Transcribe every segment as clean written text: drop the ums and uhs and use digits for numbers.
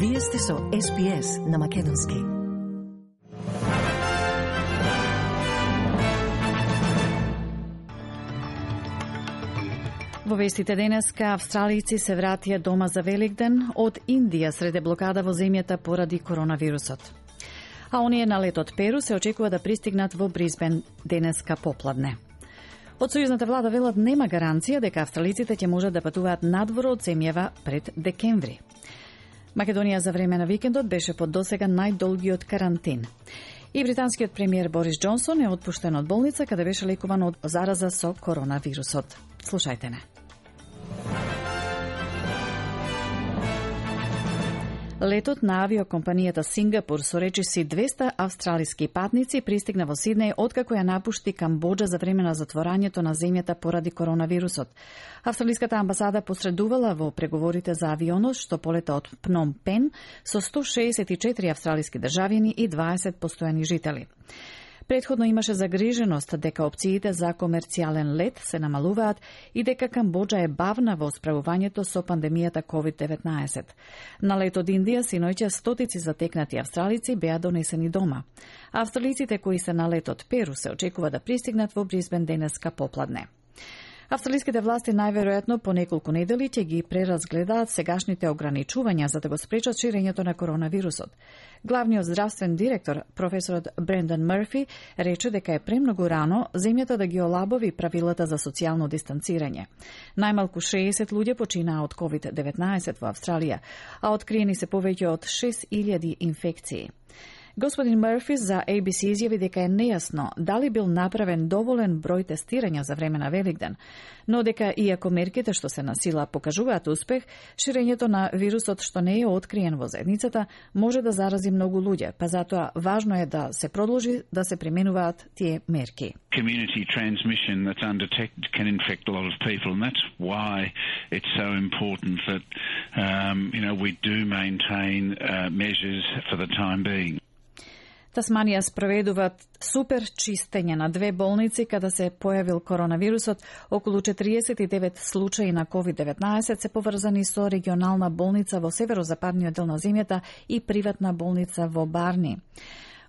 Вие сте со SPS на Македонски. Во вестите денеска, австралици се вратија дома за Великден од Индија среде блокада во земјата поради коронавирусот. А оние на летот Перу се очекува да пристигнат во Брисбен денеска попладне. Од сојузната влада велат нема гаранција дека австралиците ќе можат да патуваат надвор од земјава пред декември. Македонија за време на викендот беше под досега најдолгиот карантин. И британскиот премиер Борис Џонсон е отпуштен од болница каде беше лекуван од зараза со коронавирусот. Слушајте не. Летот на авиокомпанијата Сингапур со речиси 200 австралиски патници пристигна во Сиднеј откако ја напушти Камбоџа за време на затворањето на земјата поради коронавирусот. Австралиската амбасада посредувала во преговорите за авионот што полета од Пном Пен со 164 австралиски државјани и 20 постојани жители. Предходно имаше загриженост дека опциите за комерцијален лет се намалуваат и дека Камбоџа е бавна во справувањето со пандемијата COVID-19. На лет од Индија синоќа стотици затекнати австралици беа донесени дома. Австралиците кои се на лет од Перу се очекува да пристигнат во Брисбен денеска попладне. Австралиските власти најверојатно по неколку недели ќе ги преразгледаат сегашните ограничувања за да го спречат ширењето на коронавирусот. Главниот здравствен директор, професорот Брендан Мърфи, рече дека е премногу рано земјата да ги олабови правилата за социјално дистанцирање. Најмалку 60 луѓе починаа од COVID-19 во Австралија, а откриени се повеќе од 6000 инфекции. Господин Мърфи за ABC изјави дека е нејасно дали бил направен доволен број тестирања за време на Великден, но дека иако мерките што се на сила покажуваат успех, ширењето на вирусот што не е откриен во заедницата може да зарази многу луѓе, па затоа важно е да се продолжи да се применуваат тие мерки. Community transmission that's undetected can infect a lot of people, and that's why it's so important that we do maintain measures for the time being. Тасманија спроведуваат супер чистење на 2 болници каде се појавил коронавирусот. Околу 49 случаи на COVID-19 се поврзани со регионална болница во северозападниот дел на земјата и приватна болница во Барни.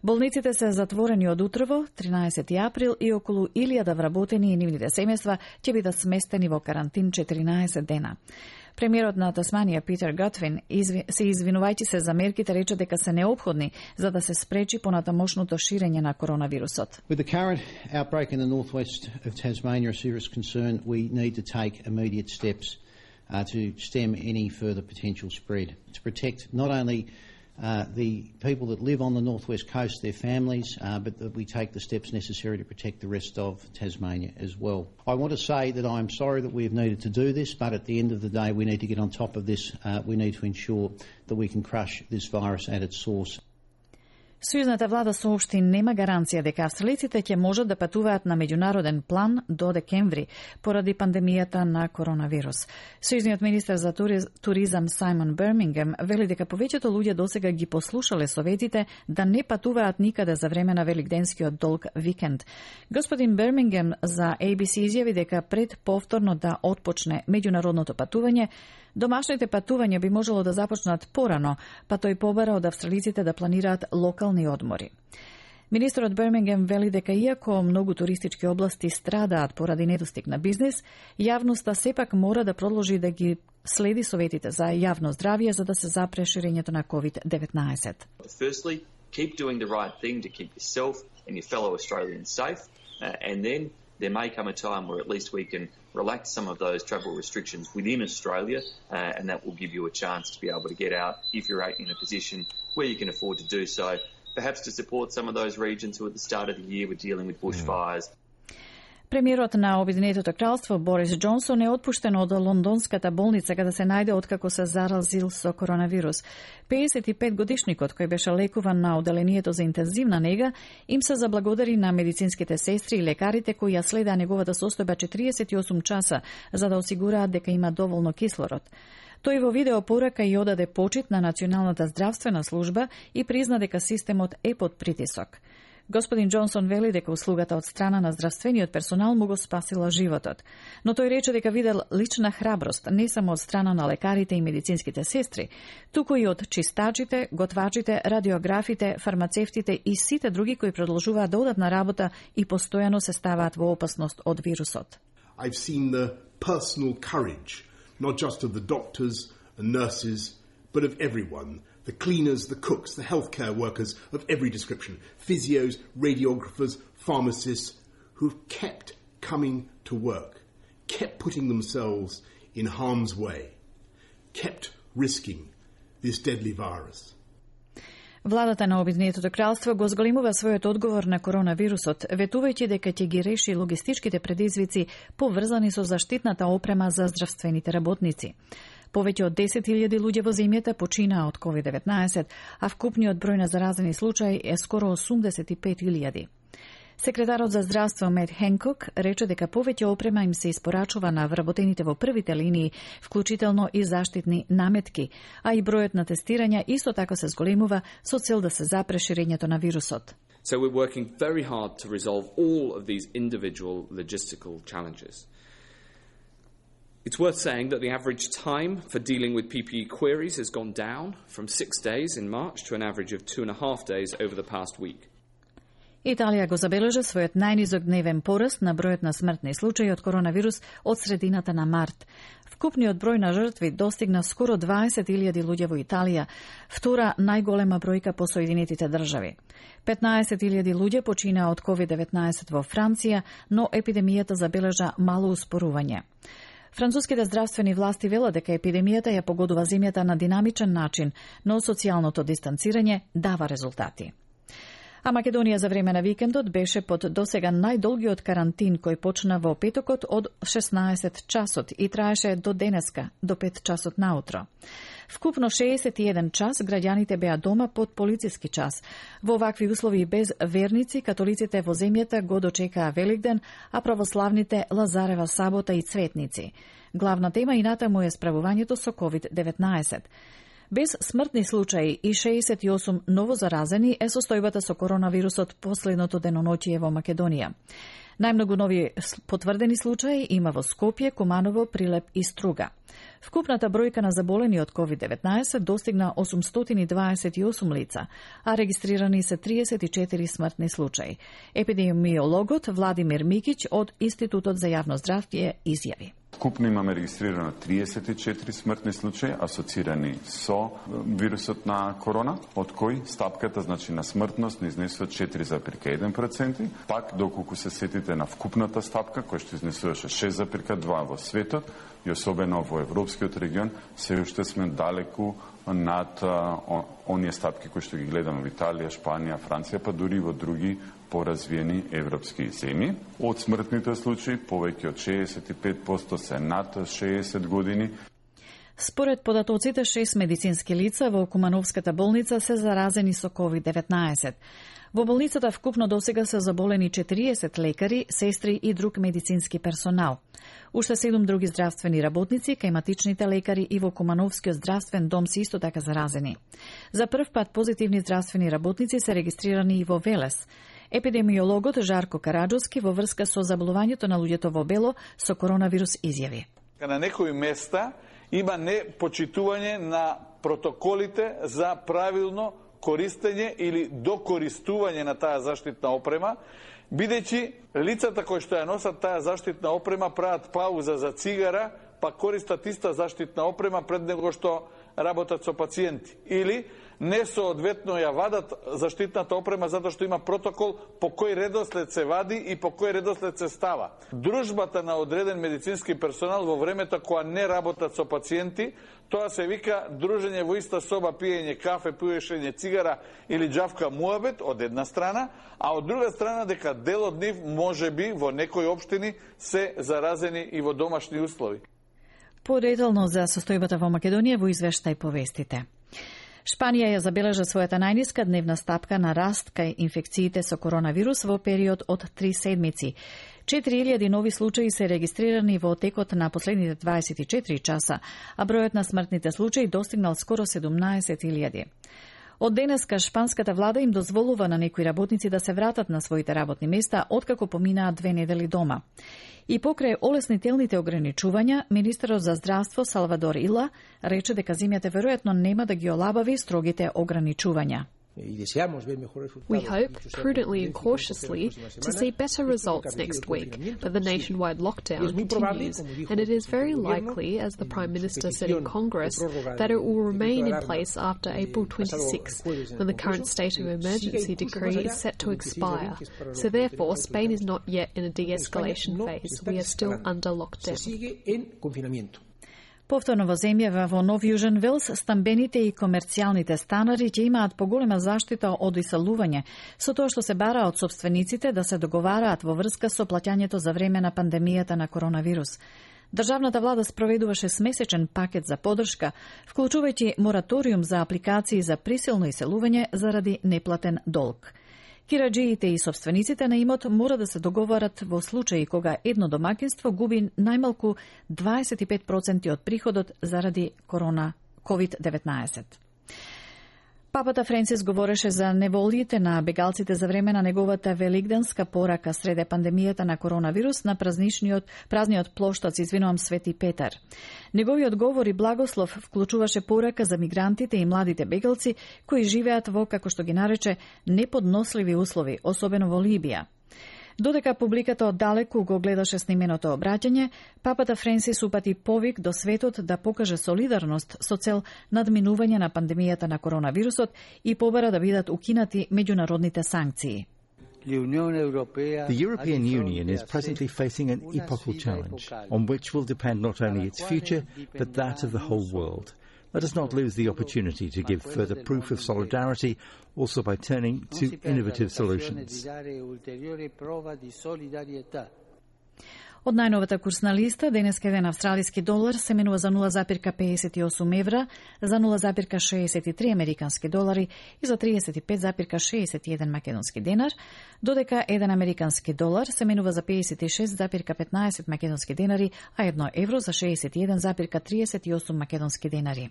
Болниците се затворени од утрово, 13 април, и околу 1000 вработени и нивните семејства ќе бидат сместени во карантин 14 дена. Премиерот на Тасманија Питер Готвин се извинувајќи се за мерките рече дека се неопходни за да се спречи понатамошното ширење на коронавирусот. With the current outbreak in the northwest of Tasmania a serious concern, we need to take immediate steps to stem any further potential spread, to protect not only the people that live on the northwest coast, their families, but that we take the steps necessary to protect the rest of Tasmania as well. I want to say that I'm sorry that we have needed to do this, but at the end of the day we need to get on top of this. We need to ensure that we can crush this virus at its source. Сојузната влада соопшти нема гаранција дека австралиците ќе можат да патуваат на меѓународен план до декември поради пандемијата на коронавирус. Сојузниот министер за туризам Сајмон Бермингем вели дека повеќето луѓе досега ги послушале советите да не патуваат никаде за време на великденскиот долг викенд. Господин Бермингем за ABC изјави дека пред повторно да отпочне меѓународното патување, домашните патувања би можело да започнат порано, па тој побара од австралиците да планираат локални одмори. Министерот Бермингем вели дека иако многу туристички области страдаат поради недостиг на бизнис, јавноста сепак мора да продолжи да ги следи советите за јавно здравје за да се запре ширењето на COVID-19. Firstly, keep doing the right thing to keep yourself and your fellow Australians safe, and then there may come a time where at least we can relax some of those travel restrictions within Australia, and that will give you a chance to be able to get out if you're in a position where you can afford to do so, perhaps to support some of those regions who at the start of the year were dealing with bushfires. Премиерот на Обединетото кралство Борис Џонсон е отпуштен од лондонската болница каде се најде откако се заразил со коронавирус. 55-годишникот кој беше лекуван на оделението за интензивна нега им се заблагодари на медицинските сестри и лекарите кои ја следеа неговата состојба 48 часа за да осигураат дека има доволно кислород. Тој во видео порака и одаде почит на Националната здравствена служба и призна дека системот е под притисок. Господин Џонсон вели дека услугата од страна на здравствениот персонал му го спасила животот, но тој рече дека видел лична храброст не само од страна на лекарите и медицинските сестри, туку и од чистачите, готвачите, радиографите, фармацевтите и сите други кои продолжуваат да одат на работа и постојано се ставаат во опасност од вирусот. I've seen the personal courage, not just of the doctors and nurses, but of everyone. The cleaners, the cooks, the healthcare workers of every description, physios, radiographers, pharmacists, who've kept coming to work, kept putting themselves in harm's way, kept risking this deadly virus. Владата на Обединетото кралство го зголемува својот одговор на коронавирусот, ветувајќи дека ќе ги реши логистичките предизвици поврзани со заштитната опрема за здравствените работници. Повеќе од 10.000 луѓе во земјата починаа од COVID-19, а вкупниот број на заразени случаи е скоро 85.000. Секретарот за здравство Мет Хенкок рече дека повеќе опрема им се испорачува на вработените во првите линии, вклучително и заштитни наметки, а и бројот на тестирања исто така се зголемува со цел да се запре ширењето на вирусот. So we're working very hard to resolve all of these individual logistical challenges. It's worth saying that the average time for dealing with PPE queries has gone down from 6 days in March to an average of 2.5 days over the past week. Италија го забележа својот најнизок дневен пораст на бројот на смртни случаи од коронавирус од средината на март. Вкупниот број на жртви достигна скоро 20.000 луѓе во Италија, втора најголема бројка по Соединетите држави. 15.000 луѓе починаа од COVID-19 во Франција, но епидемијата забележа мало успорување. Француските здравствени власти велат дека епидемијата ја погодува земјата на динамичен начин, но социјалното дистанцирање дава резултати. А Македонија за време на викендот беше под досега најдолгиот карантин кој почна во петокот од 16 часот и траеше до денеска, до 5 часот наутро. Вкупно 61 час граѓаните беа дома под полициски час. Во овакви услови без верници, католиците во земјата го дочекаа Великден, а православните Лазарева сабота и цветници. Главна тема и натаму е справувањето со COVID-19. Без смртни случаи и 68 новозаразени е состојбата со коронавирусот последното деноноќие во Македонија. Најмногу нови потврдени случаи има во Скопје, Куманово, Прилеп и Струга. Вкупната бројка на заболени од COVID-19 достигна 828 лица, а регистрирани се 34 смртни случаи. Епидемиологот Владимир Микиќ од Институтот за јавно здравје изјави. Вкупно имаме регистрирано 34 смртни случаи асоцирани со вирусот на корона, од кои стапката значи на смртност не изнесува 4,1%, пак доколку се сетите на вкупната стапка која што изнесуваше 6,2% во светот и особено во европскиот регион, се уште сме далеку над оние стапки кои што ги гледаме во Италија, Шпанија, Франција, па дури во други поразвиени европски земји. Од смртните случаи, повеќе од 65% се над 60 години. Според податоците, 6 медицински лица во Кумановската болница се заразени со COVID-19. Во болницата вкупно досега се заболени 40 лекари, сестри и друг медицински персонал. Уште 7 други здравствени работници, кај лекари и во Кумановскиот здравствен дом се исто така заразени. За прв пат позитивни здравствени работници се регистрирани и во Велес. Епидемиологот Жарко Караджовски во врска со заболувањето на луѓето во бело со коронавирус изјави. На некои места има непочитување на протоколите за правилно користење или докористување на таа заштитна опрема, бидејќи лицата кои што ја носат таа заштитна опрема прават пауза за цигара, па користат иста заштитна опрема пред него што работат со пациенти. Или несоодветно ја вадат заштитната опрема затоа што има протокол по кој редослед се вади и по кој редослед се става. Дружбата на одреден медицински персонал во времето кога не работат со пациенти, тоа се вика дружење во иста соба, пиење кафе, пуешење цигара или џавка муабет од една страна, а од друга страна дека дел од нив можеби во некои општини се заразени и во домашни услови. Подетално за состојбата во Македонија во извештај повестите. Шпанија ја забележа својата најниска дневна стапка на раст кај инфекциите со коронавирус во период од 3 седмици. 4000 нови случаи се регистрирани во текот на последните 24 часа, а бројот на смртните случаи достигнал скоро 17.000. Од денеска шпанската влада им дозволува на некои работници да се вратат на своите работни места откако поминаа 2 недели дома. И покрај олеснителните ограничувања, министерот за здравство Салвадор Ила рече дека земјата веројатно нема да ги олабави строгите ограничувања. We hope, prudently and cautiously, to see better results next week, but the nationwide lockdown continues, and it is very likely, as the Prime Minister said in Congress, that it will remain in place after April 26, when the current state of emergency decree is set to expire. So therefore, Spain is not yet in a de-escalation phase. We are still under lockdown. Повторно во земјава во Нов Јужен Велс, стамбените и комерцијалните станари ќе имаат поголема заштита од иселување, со тоа што се бара од собствениците да се договараат во врска со плаќањето за време на пандемијата на коронавирус. Државната влада спроведуваше смесечен пакет за поддршка, вклучувајќи мораториум за апликации за присилно иселување заради неплатен долг. Кираџиите и собствениците на имот мора да се договарат во случаи кога едно домаќинство губи најмалку 25% од приходот заради COVID-19. Папата Френсис говореше за неволите на бегалците за време на неговата велигденска порака среде пандемијата на коронавирус на празниот плоштад Свети Петар. Неговиот говор и благослов вклучуваше порака за мигрантите и младите бегалци кои живеат во, како што ги нарече, неподносливи услови, особено во Либија. Додека публиката оддалеку го гледаше снименото обраќање, папата Френсис упати повик до светот да покаже солидарност со цел надминување на пандемијата на коронавирусот и побара да бидат укинати меѓународните санкции. The European Union is presently facing an epochal challenge on which will depend not only its future, but that of the whole world. Let us not lose the opportunity to give further proof of solidarity, also by turning to innovative solutions. Од најновата курсна листа, денеска еден австралиски долар се менува за 0,58 евра, за 0,63 американски долари и за 35,61 македонски денар, додека еден американски долар се менува за 56,15 македонски денари, а 1 евро за 61,38 македонски денари.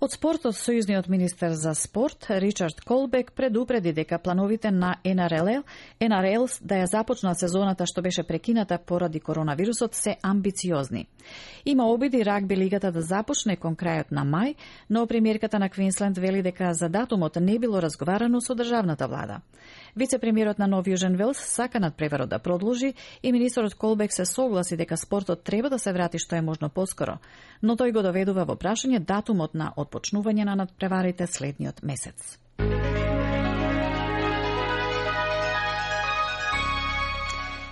Од спортот, сојузниот министер за спорт Ричард Колбек предупреди дека плановите на НРЛ да ја започнат сезоната што беше прекината поради коронавирусот се амбициозни. Има обиди рагби лигата да започне кон крајот на мај, но премиерката на Квинсленд вели дека за датумот не било разговарано со државната влада. Вице-премиерот на Нов Јужен Велс сака надпреварот да продолжи и министерот Колбек се согласи дека спортот треба да се врати што е можно поскоро, но тој го доведува во прашање датумот на отпочнување на надпреварите следниот месец.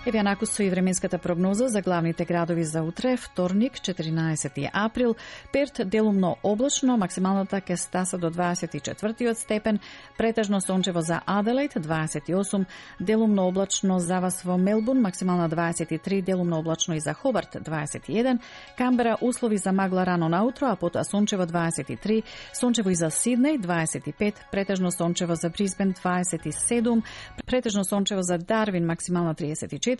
Еве накусо и временската прогноза за главните градови за утре, вторник, 14 април. Перт делумно облачно, максималната ќе стаса до 24 степен, претежно сончево за Аделаид 28, делумно облачно за вас во Мелбурн, максимална 23, делумно облачно и за Хобарт 21, Камбера услови за магла рано наутро, а потоа сончево 23, сончево и за Сиднеј 25, претежно сончево за Брисбен 27, претежно сончево за Дарвин, максимална 34,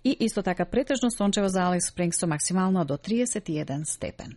и исто така претежно сончево за Алис Спрингс со максимално до 31 степен.